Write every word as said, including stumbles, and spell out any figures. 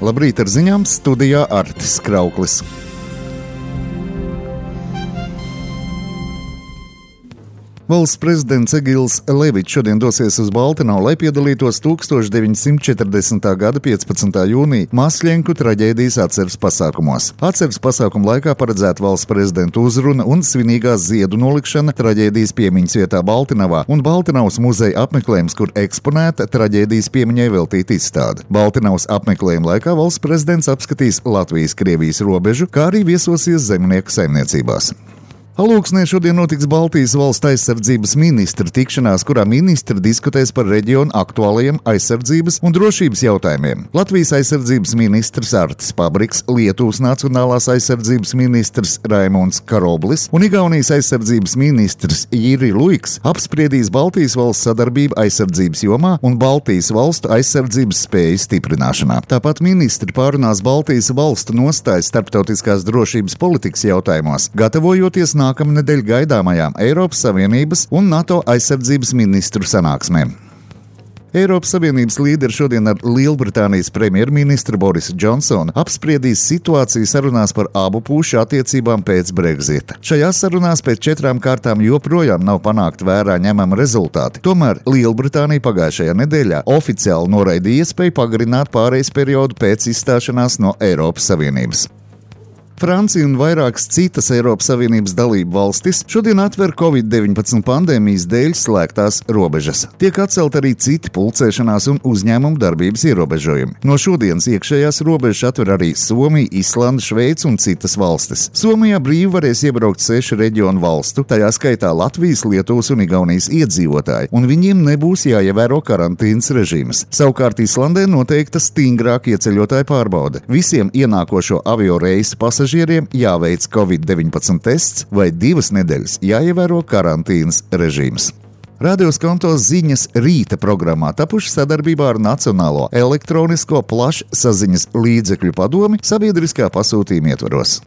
Labrīt ar ziņām, studijā Artis Krauklis. Valsts prezidents Egils Levičs šodien dosies uz Baltinavu, lai piedalītos tukstovš deviņsimt četrdesmitā gada piecpadsmitā jūnija Masļenku traģēdijas atceres pasākumos. Atceres pasākumu laikā paredzēta valsts prezidenta uzruna un svinīgās ziedu nolikšana traģēdijas piemiņas vietā Baltinavā un Baltinavas muzeja apmeklējums, kur eksponēta traģēdijas piemiņai veltīta izstāde. Baltinavas apmeklējuma laikā valsts prezidents apskatīs Latvijas-Krievijas robežu, kā arī viesosies zemnieku saimniecībās. Alūksnē šodien notiks Baltijas valstu aizsardzības ministra tikšanās, kurā ministri diskutēs par reģionu aktuālajiem aizsardzības un drošības jautājumiem. Latvijas aizsardzības ministrs Artis Pabriks, Lietuvas nacionālās aizsardzības ministrs Raimunds Karoblis un Igaunijas aizsardzības ministrs Jiri Luiks apspriedīs Baltijas valsts sadarbību aizsardzības jomā un Baltijas valstu aizsardzības spēju stiprināšanā. Tāpat ministri pārunās Baltijas valstu nostājas starptautiskās drošības politikas jautājumos, gatavojoties nākamajam nākamnedēļ gaidāmajām Eiropas Savienības un NATO aizsardzības ministru sanāksmēm. Eiropas Savienības līderi šodien ar Lielbritānijas premjerministru Borisu Džonsonu apspriedīs situāciju sarunās par abu pušu attiecībām pēc Brexita. Šajās sarunās pēc četrām kārtām joprojām nav panākt vērā ņemama rezultāti. Tomēr Lielbritānija pagājušajā nedēļā oficiāli noraidīja iespēju pagarināt pārejas periodu pēc izstāšanās no Eiropas Savienības. Francija un vairākas citas Eiropas Savienības dalību valstis šodien atver covid deviņpadsmit pandēmijas dēļ slēgtās robežas. Tiek atcelt arī citi pulcēšanās un uzņēmumu darbības ierobežojumi. No šodienas iekšējās robežas atver arī Somija, Islanda, Šveice un citas valstis. Somijā brīvi varēs iebraukt sešu reģionu valstu, tajā skaitā Latvijas, Lietuvas un Igaunijas iedzīvotāji, un viņiem nebūs jāievēro karantīnas režīms. Savukārt Islandē noteikta stingrāka ieceļotāju pārbaude. Visiem ienākošo avio reisu pasažieriem jāveic covid deviņpadsmit tests vai divas nedēļas jāievēro karantīnas režīms. Radio Skonto ziņas rīta programmā tapuši sadarbībā ar Nacionālo elektronisko plašsaziņas līdzekļu padomi sabiedriskā pasūtījuma ietvaros.